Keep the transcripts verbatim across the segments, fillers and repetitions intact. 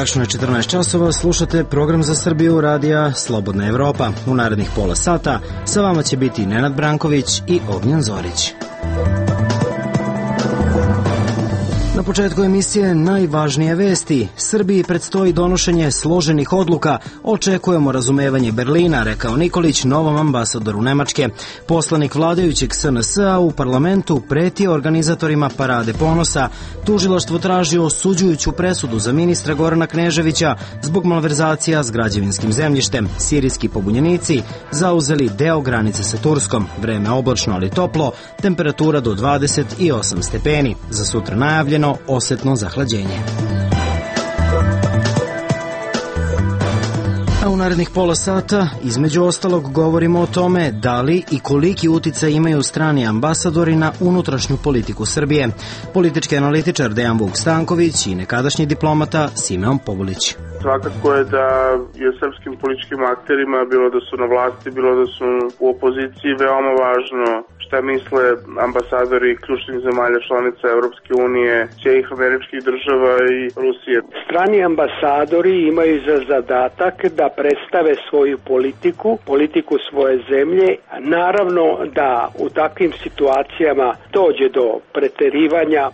tačno je četrnaest časova, slušate program za Srbiju radija Slobodna Evropa. U narednih pola sata sa vama će biti Nenad Branković i Ognjen Zorić. Na početku emisije najvažnije vesti. Srbiji predstoji donošenje složenih odluka. Očekujemo razumevanje Berlina, rekao Nikolić novom ambasadoru Nemačke. Poslanik vladajućeg S N S-a u parlamentu pretio organizatorima Parade ponosa. Tužilaštvo traži osuđujuću presudu za ministra Gorana Kneževića zbog malverzacija s građevinskim zemljištem. Sirijski pobunjenici zauzeli deo granice sa Turskom. Vreme oblačno ali toplo, temperatura do dvadeset osam stepeni. Za sutra najavljeno osetno zahlađenje. A u narednih pola sata, između ostalog, govorimo o tome da li i koliki uticaj imaju strani ambasadori na unutrašnju politiku Srbije. Politički analitičar Dejan Vuk Stanković i nekadašnji diplomata Simeon Pobulić. Svakako je da je srpskim političkim akterima, bilo da su na vlasti, bilo da su u opoziciji, veoma važno šta misle ambasadori ključnih zemalja članica Evropske unije, Sjedinjenih Američkih Država i Rusije. Strani ambasadori imaju za zadatak da predstave svoju politiku, politiku svoje zemlje. Naravno da u takvim situacijama dođe do preterivanja.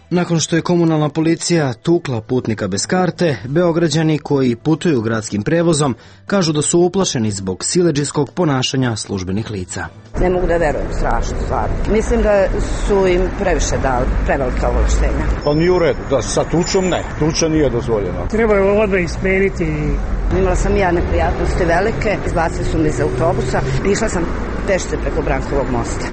Nakon što je komunalna policija tukla putnika bez karte, Beograđani koji putuju gradskim prevozom kažu da su uplašeni zbog siledžijskog ponašanja službenih lica. Ne mogu da verujem, strašno stvar. Mislim da su im previše dali, prevelika ovlaštenja. Pa nije u redu, da sa tučom ne, tuča nije dozvoljena. Treba je odmah ismeniti. Imala sam ja neprijatnosti velike, izbacili su me iz autobusa, išla sam pešce preko Brankovog mosta.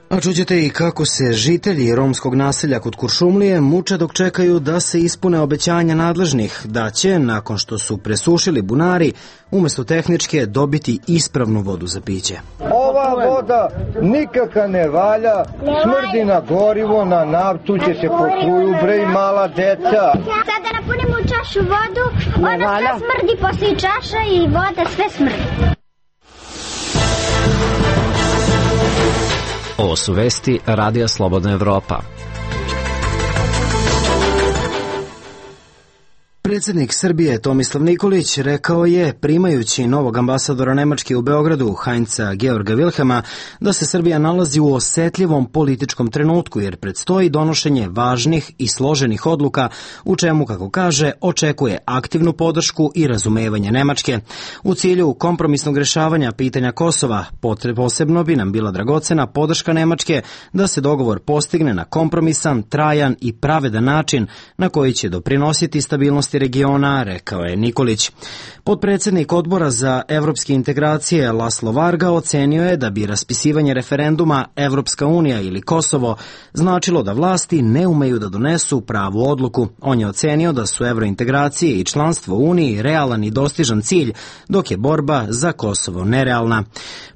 A čućete i kako se žitelji romskog naselja kod Kuršumlije muče dok čekaju da se ispune obećanja nadležnih, da će, nakon što su presušili bunari, umesto tehničke dobiti ispravnu vodu za piće. Ova voda nikaka ne valja, smrdi na gorivo, na naftu, će se potruju, bre, i mala deca. Sad da napunimo u čašu vodu, ono sve smrdi posle čaša i voda sve smrdi. Ovo su vesti Radija Slobodna Evropa. Predsjednik Srbije Tomislav Nikolić rekao je, primajući novog ambasadora Nemačke u Beogradu, Heinza Georga Wilhelma, da se Srbija nalazi u osetljivom političkom trenutku jer predstoji donošenje važnih i složenih odluka u čemu, kako kaže, očekuje aktivnu podršku i razumevanje Nemačke. U cilju kompromisnog rešavanja pitanja Kosova posebno bi nam bila dragocena podrška Nemačke da se dogovor postigne na kompromisan, trajan i pravedan način na koji će doprinositi stabilnosti regiona, rekao je Nikolić. Potpredsjednik odbora za evropske integracije Laslo Varga ocenio je da bi raspisivanje referenduma Evropska unija ili Kosovo značilo da vlasti ne umeju da donesu pravu odluku. On je ocenio da su evrointegracije i članstvo u Uniji realan i dostižan cilj, dok je borba za Kosovo nerealna.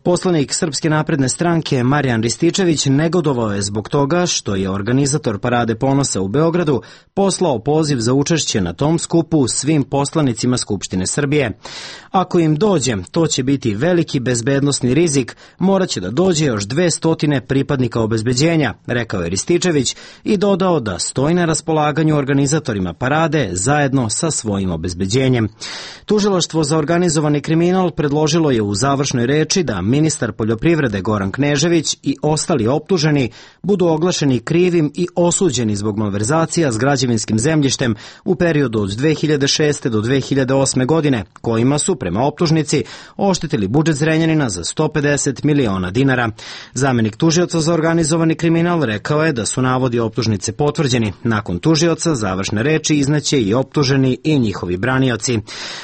Poslanik Srpske napredne stranke Marijan Rističević negodovao je zbog toga što je organizator Parade ponosa u Beogradu poslao poziv za učešće na tom skupu svim poslanicima Skupštine Srbije. Ako im dođe, to će biti veliki bezbednosni rizik, morat će da dođe još dve stotine pripadnika obezbeđenja, rekao je Rističević i dodao da stoji na raspolaganju organizatorima parade zajedno sa svojim obezbeđenjem. Tužilaštvo za organizovani kriminal predložilo je u završnoj reči da ministar poljoprivrede Goran Knežević i ostali optuženi budu oglašeni krivim i osuđeni zbog malverzacija s građevinskim zemljištem u periodu od dve hiljade šeste do dve hiljade osme godine, kojima su, prema optužnici, oštetili budžet Zrenjanina za sto pedeset miliona dinara. Zamenik tužioca za organizovani kriminal rekao je da su navodi optužnice potvrđeni. Nakon tužioca završne reči izneće i optuženi i njihovi branioci.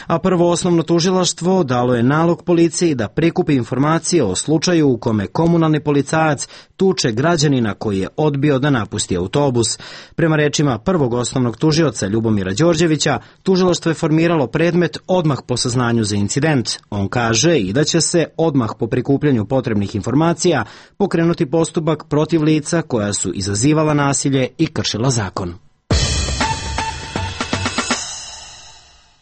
A prvo osnovno tužilaštvo dalo je nalog policiji da prikupi informacije o slučaju u kome komunalni policajac tuče građanina koji je odbio da napusti autobus. Prema rečima prvog osnovnog tužioca Ljubomira Đorđevića, tužilaštvo je formiralo predmet odmah po saznanju za incident. On kaže i da će se odmah po prikupljanju potrebnih informacija pokrenuti postupak protiv lica koja su izazivala nasilje i kršila zakon.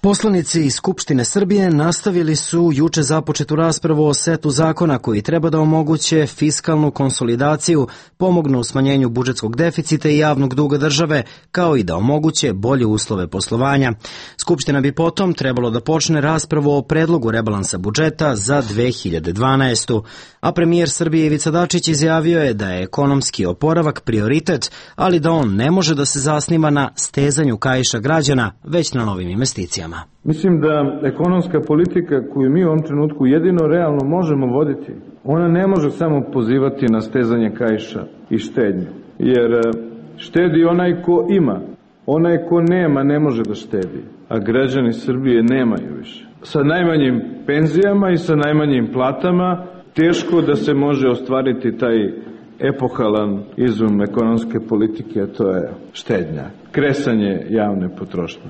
Poslanici iz Skupštine Srbije nastavili su juče započetu raspravu o setu zakona koji treba da omoguće fiskalnu konsolidaciju, pomognu u smanjenju budžetskog deficita i javnog duga države, kao i da omoguće bolje uslove poslovanja. Skupština bi potom trebalo da počne raspravu o predlogu rebalansa budžeta za dve hiljade dvanaestu. A premijer Srbije Ivica Dačić izjavio je da je ekonomski oporavak prioritet, ali da on ne može da se zasniva na stezanju kaiša građana, već na novim investicijama. Mislim da ekonomska politika koju mi u ovom trenutku jedino realno možemo voditi, ona ne može samo pozivati na stezanje kaiša i štednju. Jer štedi onaj ko ima, onaj ko nema ne može da štedi, a građani Srbije nemaju više. Sa najmanjim penzijama i sa najmanjim platama teško da se može ostvariti taj epohalan izum ekonomske politike, a to je štednja, kresanje javne potrošnje.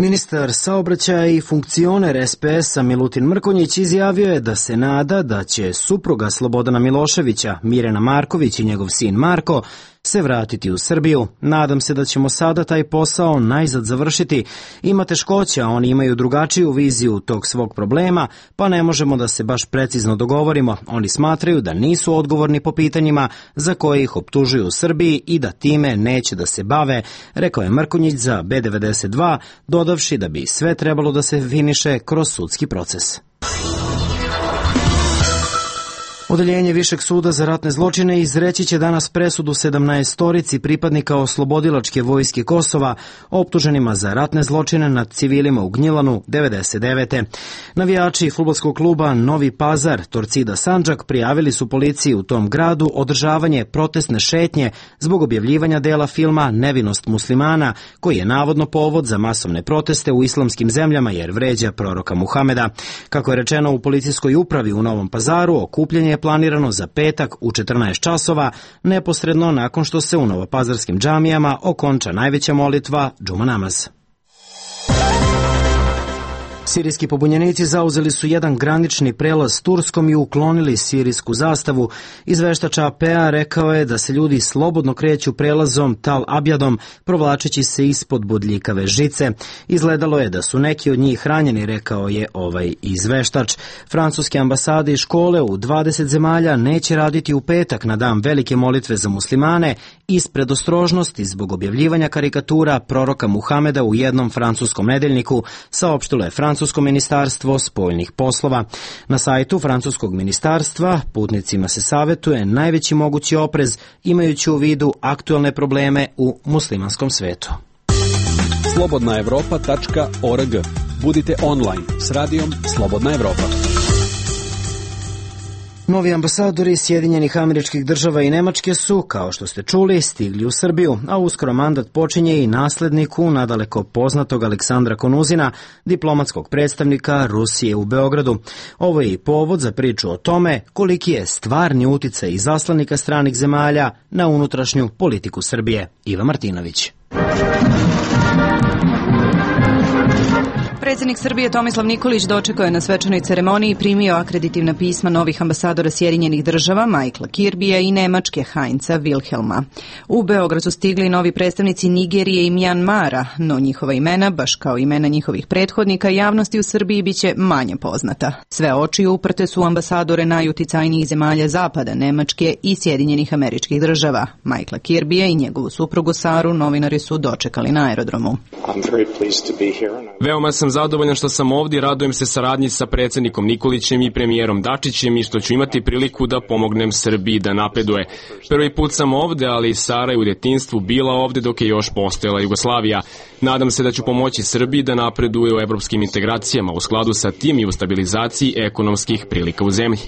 Ministar saobraćaja i funkcioner es pe es-a Milutin Mrkonjić izjavio je da se nada da će supruga Slobodana Miloševića, Mirjana Marković i njegov sin Marko se vratiti u Srbiju. Nadam se da ćemo sada taj posao najzad završiti. Ima teškoća, oni imaju drugačiju viziju tog svog problema, pa ne možemo da se baš precizno dogovorimo. Oni smatraju da nisu odgovorni po pitanjima za koje ih optužuju u Srbiji i da time neće da se bave, rekao je Mrkonjić za be devedeset dva, dodavši da bi sve trebalo da se finiše kroz sudski proces. Odeljenje Višeg suda za ratne zločine izreći će danas presudu sedamnaestorici pripadnika oslobodilačke vojske Kosova, optuženima za ratne zločine nad civilima u Gnjilanu devedeset devete. Navijači fudbalskog kluba Novi Pazar, Torcida Sandžak, prijavili su policiji u tom gradu održavanje protestne šetnje zbog objavljivanja dela filma Nevinost muslimana, koji je navodno povod za masovne proteste u islamskim zemljama jer vređa proroka Muhameda. Kako je rečeno u policijskoj upravi u Novom Pazaru, okupljanje je planirano za petak u četrnaest časova, neposredno nakon što se u novopazarskim džamijama okonča najveća molitva džuma namaz. Sirijski pobunjenici zauzeli su jedan granični prelaz s Turskom i uklonili sirijsku zastavu. Izveštač a pe a rekao je da se ljudi slobodno kreću prelazom Tal Abjadom, provlačeći se ispod bodljikave žice. Izgledalo je da su neki od njih ranjeni, rekao je ovaj izveštač. Francuske ambasade i škole u dvadeset zemalja neće raditi u petak na dan velike molitve za muslimane iz predostrožnosti zbog objavljivanja karikatura proroka Muhameda u jednom francuskom nedeljniku, saopštilo je Francusko ministarstvo spoljnih poslova. Na sajtu francuskog ministarstva putnicima se savetuje najveći mogući oprez imajući u vidu aktuelne probleme u muslimanskom svetu. slobodna evropa tačka org. Budite online s radijom Slobodna Evropa. Novi ambasadori Sjedinjenih Američkih Država i Nemačke su, kao što ste čuli, stigli u Srbiju, a uskoro mandat počinje i nasledniku nadaleko poznatog Aleksandra Konuzina, diplomatskog predstavnika Rusije u Beogradu. Ovo je i povod za priču o tome koliki je stvarni uticaj izaslanika stranih zemalja na unutrašnju politiku Srbije. Iva Martinović. Predsjednik Srbije Tomislav Nikolić dočekao je na svečanoj ceremoniji i primio akreditivna pisma novih ambasadora Sjedinjenih Država, Michaela Kirbija i Nemačke, Heinza Wilhelma. U Beograd su stigli novi predstavnici Nigerije i Mjanmara, no njihova imena, baš kao imena njihovih prethodnika, javnosti u Srbiji biće manje poznata. Sve oči uprte su ambasadore najuticajnijih zemalja Zapada, Nemačke i Sjedinjenih Američkih Država. Michaela Kirbija i njegovu suprugu Saru novinari su dočekali na aerodromu. Veoma sam zadovoljan što sam ovdje, radujem se saradnji sa predsjednikom Nikolićem i premijerom Dačićem i što ću imati priliku da pomognem Srbiji da napreduje. Prvi put sam ovdje, ali Sara je u djetinjstvu bila ovdje dok je još postojala Jugoslavija. Nadam se da ću pomoći Srbiji da napreduje u evropskim integracijama u skladu sa tim i u stabilizaciji ekonomskih prilika u zemlji.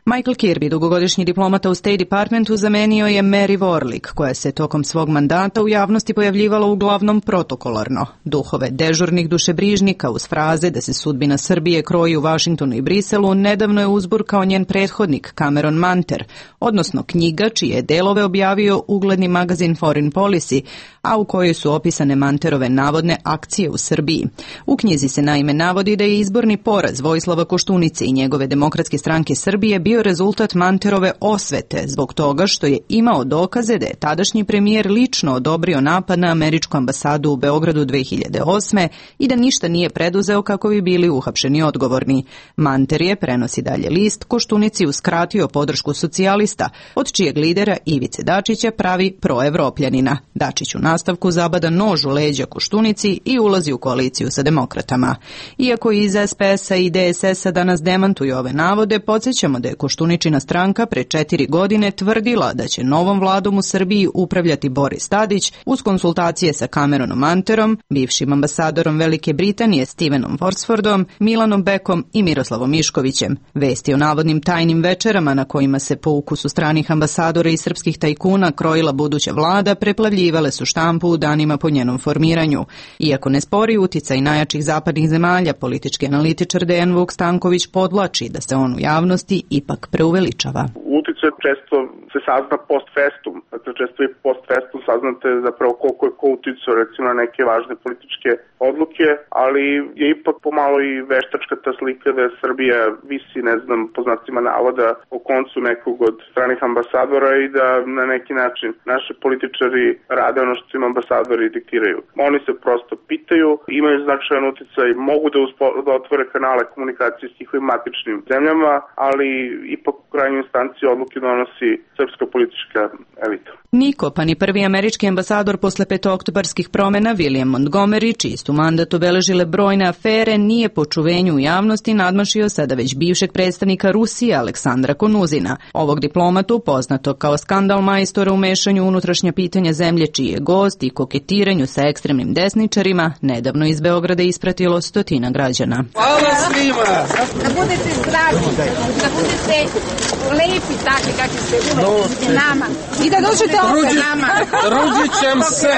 Michael Kirby, dugogodišnji diplomata u State Departmentu, zamenio je Mary Warlick, koja se tokom svog mandata u javnosti pojavljivala uglavnom protokolarno. Duhove dežurnih dušebrižnika uz fraze da se sudbina Srbije kroji u Vašingtonu i Briselu nedavno je uzburkao njen prethodnik Cameron Manter, odnosno knjiga čije delove objavio ugledni magazin Foreign Policy, a u kojoj su opisane Manterove navodne akcije u Srbiji. U knjizi se naime navodi da je izborni poraz Vojislava Koštunice i njegove Demokratske stranke Srbije bio bio rezultat Manterove osvete zbog toga što je imao dokaze da je tadašnji premijer lično odobrio napad na američku ambasadu u Beogradu dve hiljade osme i da ništa nije preduzeo kako bi bili uhapšeni odgovorni. Manter je, prenosi dalje list, Koštunici uskratio podršku socijalista, od čijeg lidera Ivice Dačića pravi proevropljanina. Dačić u nastavku zabada nož u leđa Koštunici i ulazi u koaliciju sa demokratama. Iako iz S P S-a i D S S-a danas demantuju ove navode, podsjećamo da je Koštuničina stranka pre četiri godine tvrdila da će novom vladom u Srbiji upravljati Boris Tadić uz konsultacije sa Cameronom Manterom, bivšim ambasadorom Velike Britanije Stevenom Horsfordom, Milanom Beckom i Miroslavom Miškovićem. Vesti o navodnim tajnim večerama na kojima se po ukusu stranih ambasadora i srpskih tajkuna krojila buduća vlada preplavljivale su štampu u danima po njenom formiranju. Iako ne spori uticaj najjačih zapadnih zemalja, politički analitičar Dejan Vuk Stanković podvlači da se on u javnosti ipak preuveličava. Uticaj često se sazna post festum, dakle često i post festum saznate zapravo koliko je ko uticao recimo na neke važne političke odluke, ali je ipak pomalo i veštačka ta slika da je Srbija visi, ne znam, po znacima navoda o koncu nekog od stranih ambasadora i da na neki način naši političari rade ono što im ambasadori diktiraju. Oni se prosto pitaju, imaju značajan uticaj, mogu da, uspo, da otvore kanale komunikacije s njihovim matičnim zemljama, ali ipak u krajnjoj instanci odluke donosi srpska politička elita. Niko, pa ni prvi američki ambasador posle petooktobarskih promena William Montgomery, čiji su mandat obeležile brojne afere, nije po čuvenju u javnosti nadmašio sada već bivšeg predstavnika Rusije Aleksandra Konuzina. Ovog diplomatu, poznato kao skandal majstora u mešanju unutrašnja pitanja zemlje čiji je gost i koketiranju sa ekstremnim desničarima, nedavno iz Beograda ispratilo stotina građana. Hvala svima! Da budete zdravi, da budete lepi takvi kakvi ste uvek nama i da dođete opet nama. Ruđićem se!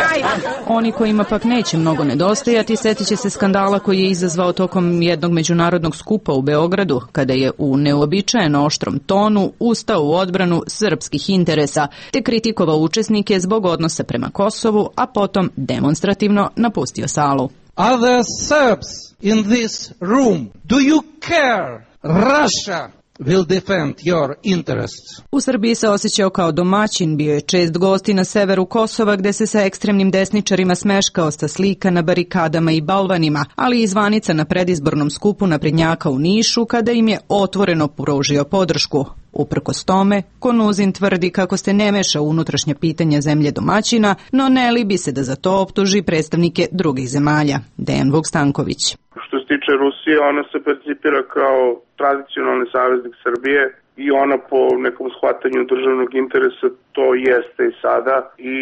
Oni kojima pak neće mnogo nedostajati, setit će se skandala koji je izazvao tokom jednog međunarodnog skupa u Beogradu, kada je u neuobičajeno oštrom tonu ustao u odbranu srpskih interesa, te kritikovao učesnike zbog odnosa prema Kosovu, a potom demonstrativno napustio salu. Are there Serbs in this room? Do you care? Russia will defend your interests. U Srbiji se osjećao kao domaćin, bio je čest gost i na severu Kosova gde se sa ekstremnim desničarima smeškao sa slika na barikadama i balvanima, ali i zvanica na predizbornom skupu naprednjaka u Nišu kada im je otvoreno pružio podršku. Uprkos tome, Konuzin tvrdi kako se ne meša u unutrašnja pitanja zemlje domaćina, no ne libi se da za to optuži predstavnike drugih zemalja. Dejan Vuk Stanković. Što se tiče Rusije, ona se percipira kao tradicionalni saveznik Srbije i ona po nekom shvatanju državnog interesa to jeste i sada i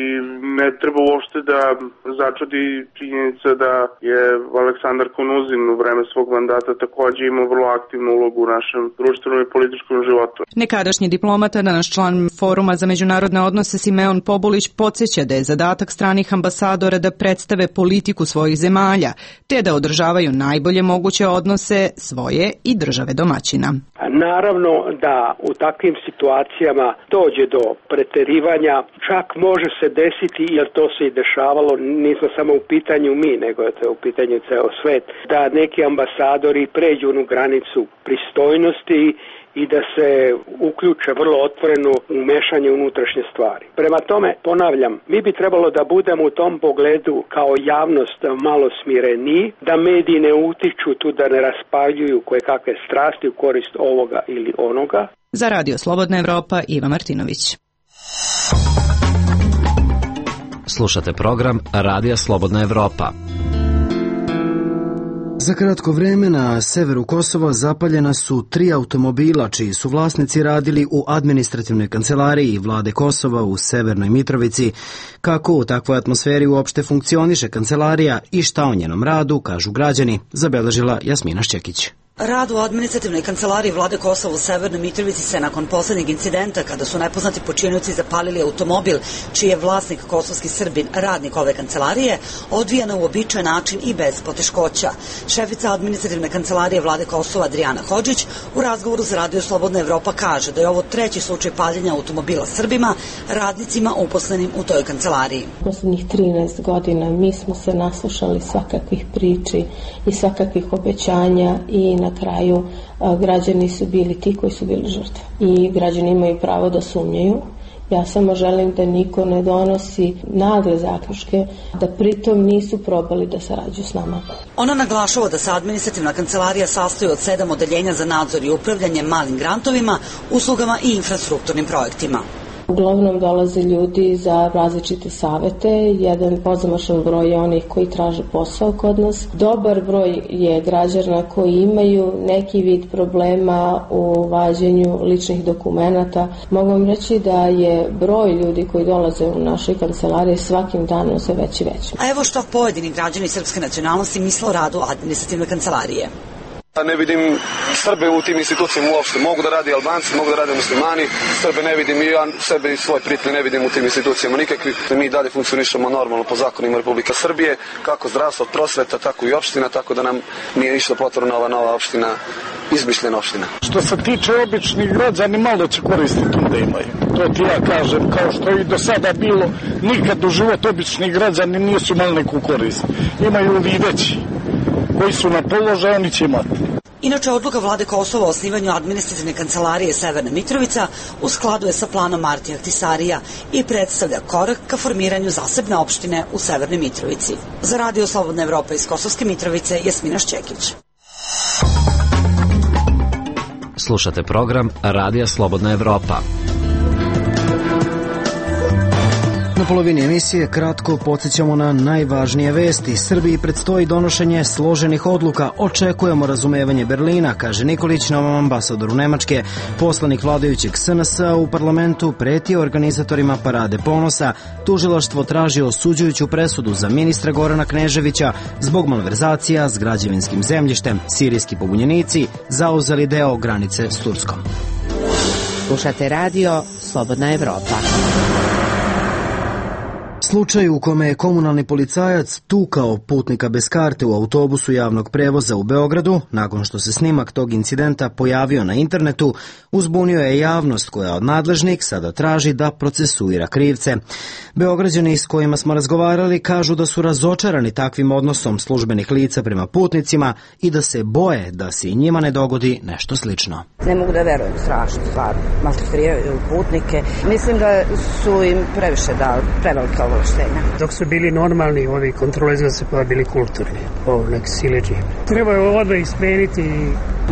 ne treba uopšte da začudi činjenica da je Aleksandar Konuzin u vreme svog mandata takođe imao vrlo aktivnu ulogu u našem društvenom i političkom životu. Nekadašnji diplomata, danas član Foruma za međunarodne odnose Simeon Pobulić podsjeća da je zadatak stranih ambasadora da predstave politiku svojih zemalja, te da održavaju najbolje moguće odnose svoje i države domaćina. Naravno da u takvim situacijama dođe do preterivanja, čak može se desiti, jer to se i dešavalo, nismo samo u pitanju mi, nego je to u pitanju ceo svet, da neki ambasadori pređu onu granicu pristojnosti i da se uključe vrlo otvoreno u mešanje unutrašnje stvari. Prema tome, ponavljam, mi bi trebalo da budemo u tom pogledu kao javnost malo smireniji, da mediji ne utiču tu, da ne raspaljuju koje kakve strasti u korist ovoga ili onoga. Za Radio Slobodna Evropa, Iva Martinović. Slušate program Radija Slobodna Evropa. Za kratko vreme na severu Kosova zapaljena su tri automobila čiji su vlasnici radili u administrativnoj kancelariji vlade Kosova u Severnoj Mitrovici. Kako u takvoj atmosferi uopšte funkcioniše kancelarija i šta o njenom radu kažu građani, zabeležila Jasmina Šćekić. Rad u administrativnoj kancelariji vlade Kosova u Severnoj Mitrovici se nakon poslednjeg incidenta kada su nepoznati počinioci zapalili automobil čiji je vlasnik kosovski Srbin, radnik ove kancelarije, odvija na uobičajen način i bez poteškoća. Šefica administrativne kancelarije vlade Kosova Adrijana Hodžić u razgovoru za Radio Slobodna Evropa kaže da je ovo treći slučaj paljenja automobila Srbima, radnicima uposlenim u toj kancelariji. Poslednjih trinaest godina mi smo se naslušali svakakvih priči i svakakvih obećanja i na na kraju građani su bili ti koji su bili žrtve. I građani imaju pravo da sumnjaju. Ja samo želim da niko ne donosi nagle zaključke, da pritom nisu probali da sarađuju s nama. Ona naglašava da se administrativna kancelarija sastoji od sedam odeljenja za nadzor i upravljanje malim grantovima, uslugama i infrastrukturnim projektima. Uglavnom dolaze ljudi za različite savete, jedan pozamašan broj je onih koji traže posao kod nas. Dobar broj je građana koji imaju neki vid problema u vađenju ličnih dokumenata. Mogu vam reći da je broj ljudi koji dolaze u našoj kancelariji svakim danom sve veći i veći. A evo što pojedini građani srpske nacionalnosti misle o radu administrativne kancelarije. Ne vidim Srbe u tim institucijama uopšte. Mogu da radi Albanci, mogu da rade muslimani. Srbe ne vidim i ja sebe i svoje prijatelje ne vidim u tim institucijama nikakvi. Mi dalje funkcionišemo normalno po zakonima Republike Srbije, kako zdravstvo, prosveta, tako i opština, tako da nam nije ništa potrebna ova nova opština, izmišljena opština. Što se tiče običnih građani, malo će koristiti da imaju. To ti ja kažem, kao što i do sada bilo, nikad u život običnih građani nisu imali neku korist. Imaju li veći koji su na položaju, oni će imati. Inače, odluka vlade Kosova o osnivanju administrativne kancelarije Severna Mitrovica u skladu je sa planom Martija Ahtisarija i predstavlja korak ka formiranju zasebne opštine u Severnoj Mitrovici. Za Radio Slobodna Evropa iz Kosovske Mitrovice, Jasmina Šćekić. Slušate program Radija Slobodna Evropa. Na polovini emisije kratko podsjećamo na najvažnije vesti. Srbiji predstoji donošenje složenih odluka. Očekujemo razumevanje Berlina, kaže Nikolić novom ambasadoru Nemačke. Poslanik vladajućeg S N S u parlamentu pretio organizatorima Parade ponosa. Tužilaštvo traži osuđujuću presudu za ministra Gorana Kneževića zbog malverzacija s građevinskim zemljištem. Sirijski pobunjenici zauzeli deo granice s Turskom. Slušate radio Slobodna Evropa. Slučaj u kome je komunalni policajac tukao putnika bez karte u autobusu javnog prevoza u Beogradu, nakon što se snimak tog incidenta pojavio na internetu, uzbunio je javnost koja od nadležnih sada traži da procesuira krivce. Beograđani s kojima smo razgovarali kažu da su razočarani takvim odnosom službenih lica prema putnicima i da se boje da se i njima ne dogodi nešto slično. Ne mogu da verujem, strašno stvar, maltretiraju putnike. Mislim da su im previše dali, prevelike ovo. Dok su bili normalni, ovi kontrolezna se pa bili kulturni, ovo nek sileđi. Treba je odmah ismeniti.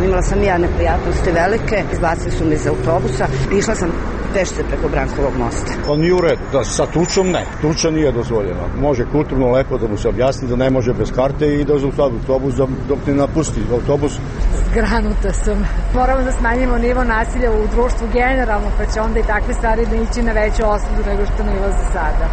Imala sam ja neprijatnosti velike, izbacili su me iz autobusa, išla sam pešce preko Brankovog mosta. On nije u redu, da sa tučom ne, tuča nije dozvoljena. Može kulturno lepo da mu se objasni da ne može bez karte i da za autobus dok ne napusti autobus. Zgranuta sam. Moramo da smanjimo nivo nasilja u društvu generalno, pa će onda i takve stvari da ići na veću osudu nego što nivo za sada.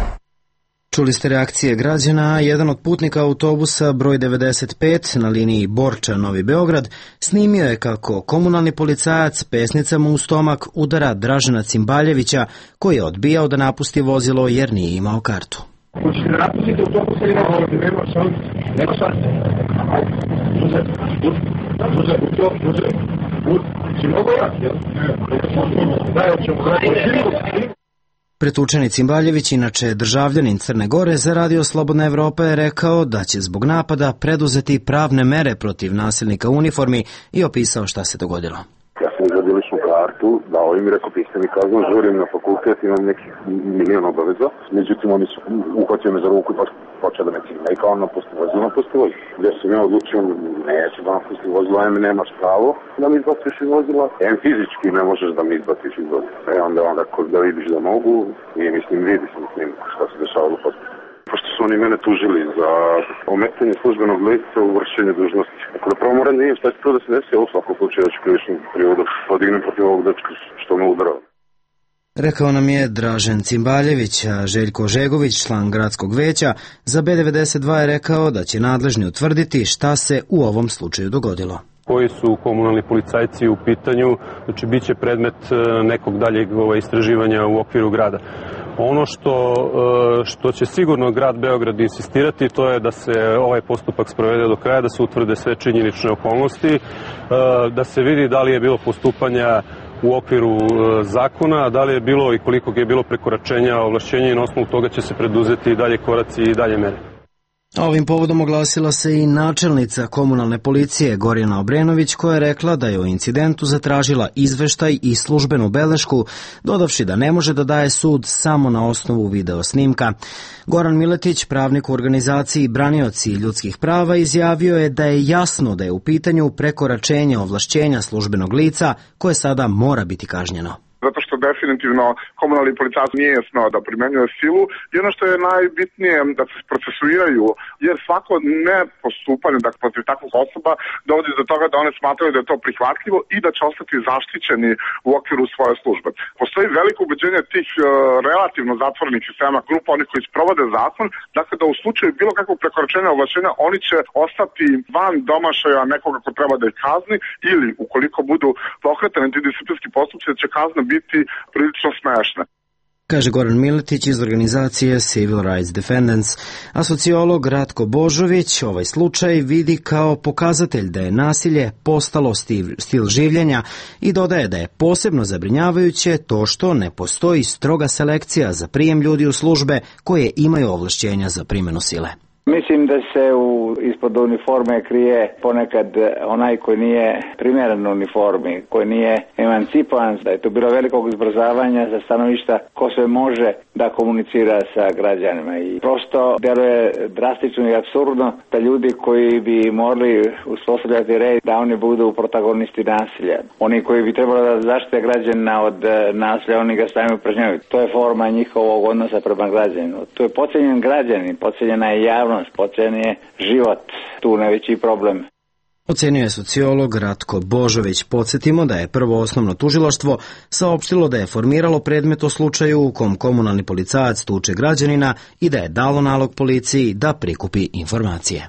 Čuli ste reakcije građana, jedan od putnika autobusa broj devedeset pet na liniji Borča-Novi Beograd snimio je kako komunalni policajac pesnicama u stomak udara Dražena Cimbaljevića koji je odbijao da napusti vozilo jer nije imao kartu. Hoćete da napustite autobus ili nema šanse? Nema šanse. Suze, suze, suze, suze, si mogu ja? Daj, hoćemo da Pretučeni Cimbaljević, inače državljanin Crne Gore, za Radio Slobodna Evropa je rekao da će zbog napada preduzeti pravne mere protiv nasilnika u uniformi i opisao šta se dogodilo. Ja sam izvadio ličnu kartu, dao im i rekao, piste mi kaznu, žurim na fakultet, imam nekih milijon obaveza. Međutim, oni su uhvatili me za ruku i počeo da me cima. I kao napusti vozilo, napusti vozilo. Gdje sam ja odlučio, neću da napusti vozilo, em nemaš pravo da mi izbaciš iz vozila, em fizički ne možeš da mi izbaciš iz vozila. E onda onda da vidiš da mogu i mislim vidi sam s njim šta se dešavalo posle. Pošto su oni mene tužili za ometanje službenog lica u vršenju dužnosti. Ako da prvo moram da vidim šta će to da se desi, ovo svako slučaju da ću krivičnu prirodu podignem protiv ovog dečka što me udarao. Rekao nam je Dražen Cimbaljević, a Željko Žegović, član gradskog veća, za B devedeset dva je rekao da će nadležni utvrditi šta se u ovom slučaju dogodilo. Koji su komunalni policajci u pitanju, znači bit će predmet nekog daljeg istraživanja u okviru grada. Ono što, što će sigurno grad Beograd insistirati, to je da se ovaj postupak sprovede do kraja, da se utvrde sve činjenične okolnosti, da se vidi da li je bilo postupanja u okviru zakona, da li je bilo i koliko je bilo prekoračenja ovlašćenja i na osnovu toga će se preduzeti dalje koraci i dalje mere. Ovim povodom oglasila se i načelnica komunalne policije Gorjana Obrenović, koja je rekla da je o incidentu zatražila izveštaj i službenu belešku, dodavši da ne može da daje sud samo na osnovu video snimka. Goran Miletić, pravnik u organizaciji Branioci ljudskih prava, izjavio je da je jasno da je u pitanju prekoračenje ovlašćenja službenog lica koje sada mora biti kažnjeno. Zato što definitivno komunalni policajac nije smeo da primenjuje silu i ono što je najbitnije da se procesuiraju, jer svako nepostupanje dakle, protiv takvih osoba dovodi do toga da one smatraju da je to prihvatljivo i da će ostati zaštićeni u okviru svoje službe. Postoji veliko ubeđenje tih uh, relativno zatvorenih sistema grupa, onih koji sprovode zakon, dakle da u slučaju bilo kakvog prekoračenja ovlašćenja oni će ostati van domašaja nekoga ko treba da ih kazni ili ukoliko budu pokretani ti disciplinski postupci da će kazna biti prilično smešna. Kaže Goran Miletić iz organizacije Civil Rights Defendants, a sociolog Ratko Božović ovaj slučaj vidi kao pokazatelj da je nasilje postalo stil, stil življenja i dodaje da je posebno zabrinjavajuće to što ne postoji stroga selekcija za prijem ljudi u službe koje imaju ovlašćenja za primjenu sile. Mislim da se u, ispod uniforme krije ponekad onaj koji nije primjeren uniformi, koji nije emancipovan, da je to bilo velikog izbrzavanja za stanovišta ko sve može da komunicira sa građanima. I prosto djeluje drastično i apsurdno da ljudi koji bi morali uspostavljati red, da oni budu protagonisti nasilja. Oni koji bi trebali da zaštite građana od nasilja, oni ga stavimo pražnjavaju. To je forma njihovog odnosa prema građaninu. To je podcijenjen građanin, podcijenjena je javnost, podcijenjen je život, tu najveći problem. Ocenio je sociolog Ratko Božović. Podsjetimo da je Prvo osnovno tužilaštvo saopštilo da je formiralo predmet o slučaju u kom komunalni policajac tuče građanina i da je dalo nalog policiji da prikupi informacije.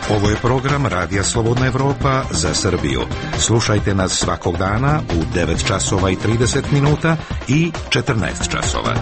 Ovo je program Radija Slobodna Evropa za Srbiju. Slušajte nas svakog dana u devet časova i trideset minuta i četrnaest časova.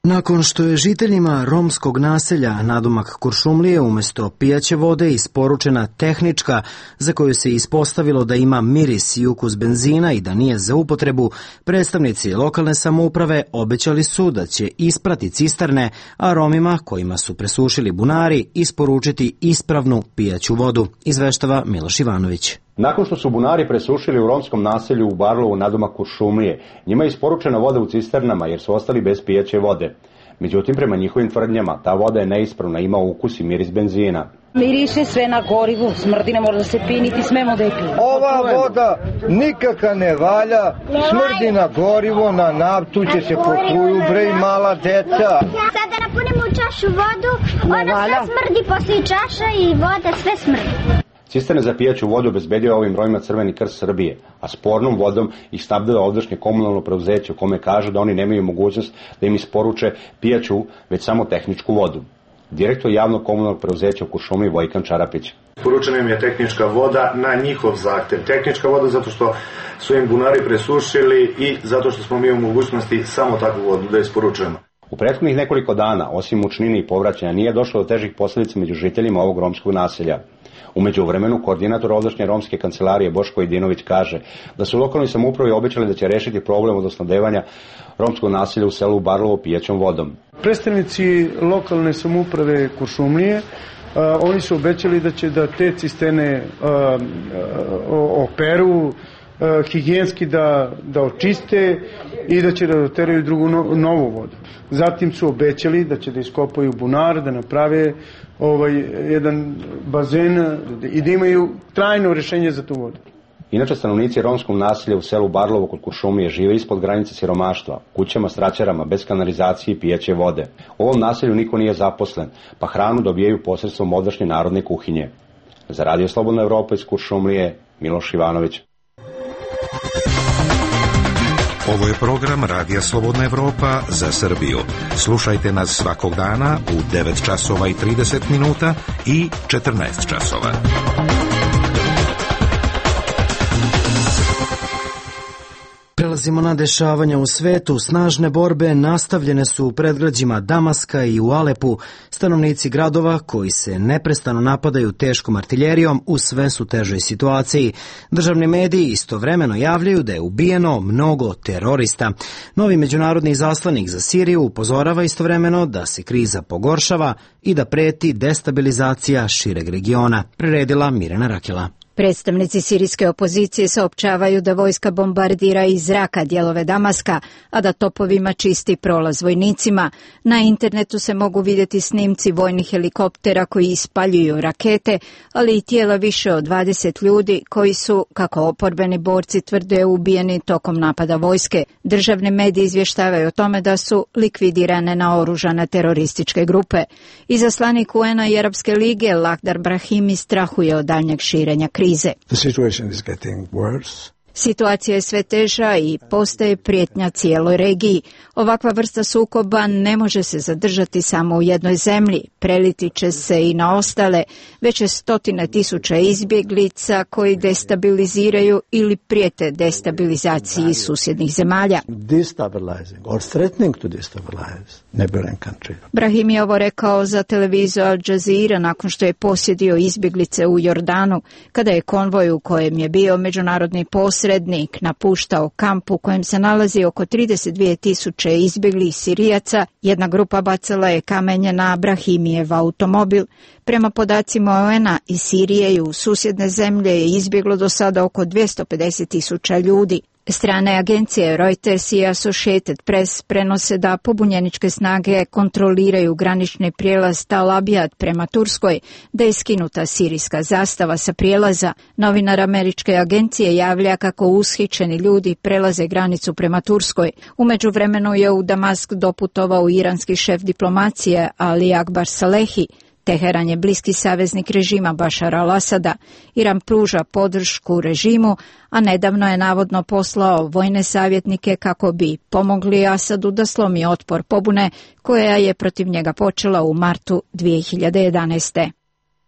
Nakon što je žiteljima romskog naselja nadomak Kuršumlije umjesto pijaće vode isporučena tehnička za koju se ispostavilo da ima miris i ukus benzina i da nije za upotrebu, predstavnici lokalne samouprave obećali su da će isprati cisterne, a Romima kojima su presušili bunari isporučiti ispravnu pijaću vodu, izveštava Miloš Ivanović. Nakon što su bunari presušili u romskom naselju u Barlovu nadomak Kuršumlije, njima je isporučena voda u cisternama jer su ostali bez pijaće vode. Međutim, prema njihovim tvrdnjama, ta voda je neispravna, ima ukus i miris benzina. Miriše sve na gorivu, smrdi, ne može da se pije, niti smemo da je pije. Ova voda nikaka ne valja, smrdi na gorivo, na naftu će se potruju, bre, i mala deca. Sada napunimo u čašu vodu, ona sve smrdi posle čaša i voda sve smrdi. Cisterne za pijaću vodu obezbedio ovim Romima Crveni krst Srbije, a spornom vodom ih snabdeva ovdašnje komunalno preduzeće u kome kažu da oni nemaju mogućnost da im isporuče pijaću, već samo tehničku vodu. Direktor javnog komunalnog preduzeća u Kuršumliji Vojkan Čarapić. Isporučena im je tehnička voda na njihov zahtev. Tehnička voda zato što su im bunari presušili i zato što smo mi u mogućnosti samo takvu vodu da isporučujemo. U prethodnih nekoliko dana, osim mučnine i povraćanja, nije došlo do težih posljedica među žiteljima ovog romskog naselja. U međuvremenu, koordinator ovdašnje romske kancelarije Boško Idinović kaže da su lokalnoj samoupravi obećali da će rešiti problem od osnabdevanja romskog naselja u selu Barlovo pijaćom vodom. Predstavnici lokalne samouprave Kuršumlije, a, oni su obećali da će da te cisterne a, a, operu, a, higijenski da, da očiste i da će da doteraju drugu no, novu vodu. Zatim su obećali da će da iskopaju bunar, da naprave ovaj, jedan bazen i da imaju trajno rešenje za tu vodu. Inače, stanovnici romskog naselja u selu Barlovo kod Kuršumlije žive ispod granice siromaštva, kućama s traćarama, bez kanalizacije i pijaće vode. U ovom naselju niko nije zaposlen, pa hranu dobijaju posredstvom ovdašnje narodne kuhinje. Za Radio Slobodna Evropa iz Kuršumlije, Miloš Ivanović. Ovo je program Radija Slobodna Evropa za Srbiju. Slušajte nas svakog dana u devet časova i trideset minuta i četrnaest časova. prelazimo na dešavanja u svetu. Snažne borbe nastavljene su u predgrađima Damaska i u Alepu. Stanovnici gradova koji se neprestano napadaju teškom artiljerijom u sve su težoj situaciji. Državni mediji istovremeno javljaju da je ubijeno mnogo terorista. Novi međunarodni izaslanik za Siriju upozorava istovremeno da se kriza pogoršava i da preti destabilizacija šireg regiona. Priredila Mirjana Rakela. Predstavnici sirijske opozicije saopćavaju da vojska bombardira iz zraka dijelove Damaska, a da topovima čisti prolaz vojnicima. Na internetu se mogu vidjeti snimci vojnih helikoptera koji ispaljuju rakete, ali i tijela više od dvadeset ljudi koji su, kako oporbeni borci tvrde, ubijeni tokom napada vojske. Državni mediji izvještavaju o tome da su likvidirane naoružane terorističke grupe. Izaslanik U N-a i Arapske lige Lakhdar Brahimi strahuje od daljnjeg širenja krize. The situation is getting worse. Situacija je sve teža i postaje prijetnja cijeloj regiji. Ovakva vrsta sukoba ne može se zadržati samo u jednoj zemlji. Preliti će se i na ostale, već je stotine tisuća izbjeglica koji destabiliziraju ili prijete destabilizaciji susjednih zemalja. Destabilizing or threatening to destabilize neighboring country. Brahim je ovo rekao za televiziju Al Jazeera nakon što je posjedio izbjeglice u Jordanu, kada je konvoj u kojem je bio međunarodni posrednik napuštao kamp u kojem se nalazi oko trideset dvije tisuće izbjeglih Sirijaca. Jedna grupa bacala je kamenje na Brahimijev automobil. Prema podacima O N A iz Sirije i u susjedne zemlje je izbjeglo do sada oko dvjesto pedeset tisuća ljudi. Strane agencije Reuters i Associated Press prenose da pobunjeničke snage kontroliraju granični prijelaz Tal Abyad prema Turskoj, da je skinuta sirijska zastava sa prijelaza. Novinar američke agencije javlja kako ushićeni ljudi prelaze granicu prema Turskoj. U međuvremenu je u Damask doputovao iranski šef diplomacije Ali Akbar Salehi. Teheran je bliski saveznik režima Bašara al-Asada. Iran pruža podršku režimu, a nedavno je navodno poslao vojne savjetnike kako bi pomogli Asadu da slomi otpor pobune koja je protiv njega počela u martu dvije hiljade jedanaeste.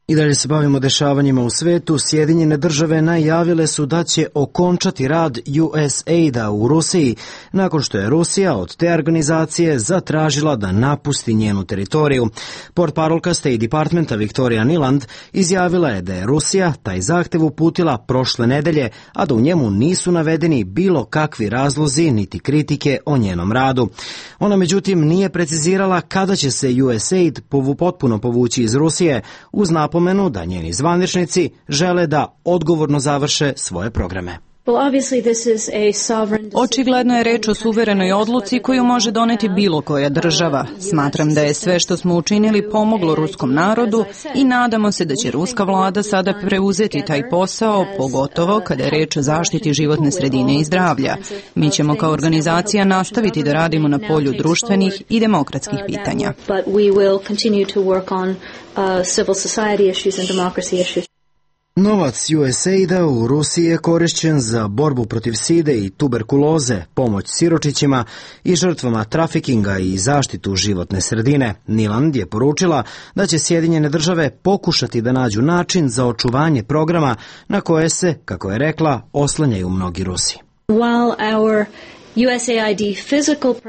I dalje se bavimo dešavanjima u svetu. Sjedinjene države najavile su da će okončati rad U S A I D-a u Rusiji nakon što je Rusija od te organizacije zatražila da napusti njenu teritoriju. Portparolka State Departmenta Victoria Nuland izjavila je da je Rusija taj zahtev uputila prošle nedelje, a da u njemu nisu navedeni bilo kakvi razlozi niti kritike o njenom radu. Ona međutim nije precizirala kada će se U S A I D povu potpuno povući iz Rusije, uz napomenu da njeni zvaničnici žele da odgovorno završe svoje programe. Očigledno je reč o suverenoj odluci koju može doneti bilo koja država. Smatram da je sve što smo učinili pomoglo ruskom narodu i nadamo se da će ruska vlada sada preuzeti taj posao, pogotovo kada je reč o zaštiti životne sredine i zdravlja. Mi ćemo kao organizacija nastaviti da radimo na polju društvenih i demokratskih pitanja. Novac U S A I D-a u Rusiji je korišćen za borbu protiv side i tuberkuloze, pomoć siročićima i žrtvama trafikinga i zaštitu životne sredine. Nuland je poručila da će Sjedinjene države pokušati da nađu način za očuvanje programa na koje se, kako je rekla, oslanjaju mnogi Rusi.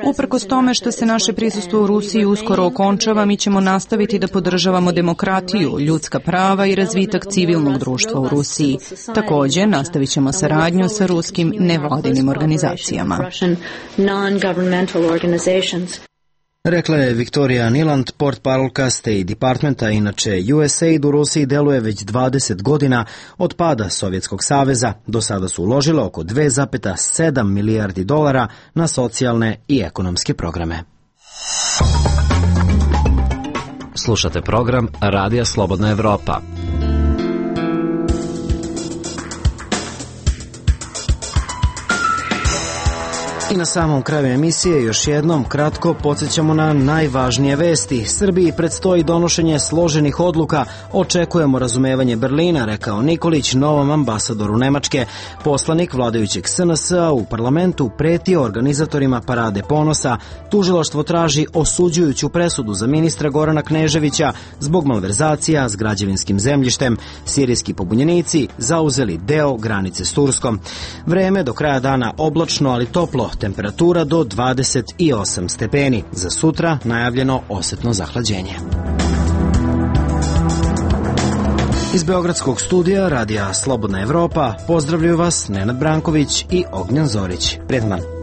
Uprkos tome što se naše prisustvo u Rusiji uskoro okončava, mi ćemo nastaviti da podržavamo demokratiju, ljudska prava i razvitak civilnog društva u Rusiji. Također, nastavit ćemo saradnju sa ruskim nevladinim organizacijama. Rekla je Victoria Nuland, portparolka State Departmenta. Inače, U S A I D u Rusiji deluje već dvadeset godina od pada Sovjetskog saveza. Do sada su uložile oko dve zarez sedam milijardi dolara na socijalne i ekonomske programe. Slušate program Radija Slobodna Evropa. I na samom kraju emisije još jednom kratko podsjećamo na najvažnije vesti. Srbiji predstoji donošenje složenih odluka, očekujemo razumevanje Berlina, rekao Nikolić novom ambasadoru Nemačke. Poslanik vladajućeg S N S-a u parlamentu pretio organizatorima Parade ponosa. Tužilaštvo traži osuđujuću presudu za ministra Gorana Kneževića zbog malverzacija s građevinskim zemljištem. Sirijski pobunjenici zauzeli deo granice s Turskom. Vreme do kraja dana oblačno, ali toplo, temperatura do dvadeset osam stepeni. Za sutra najavljeno osetno zahlađenje. Iz Beogradskog studija Radija Slobodna Evropa pozdravljaju vas Nenad Branković i Ognjan Zorić. Prijetan dan.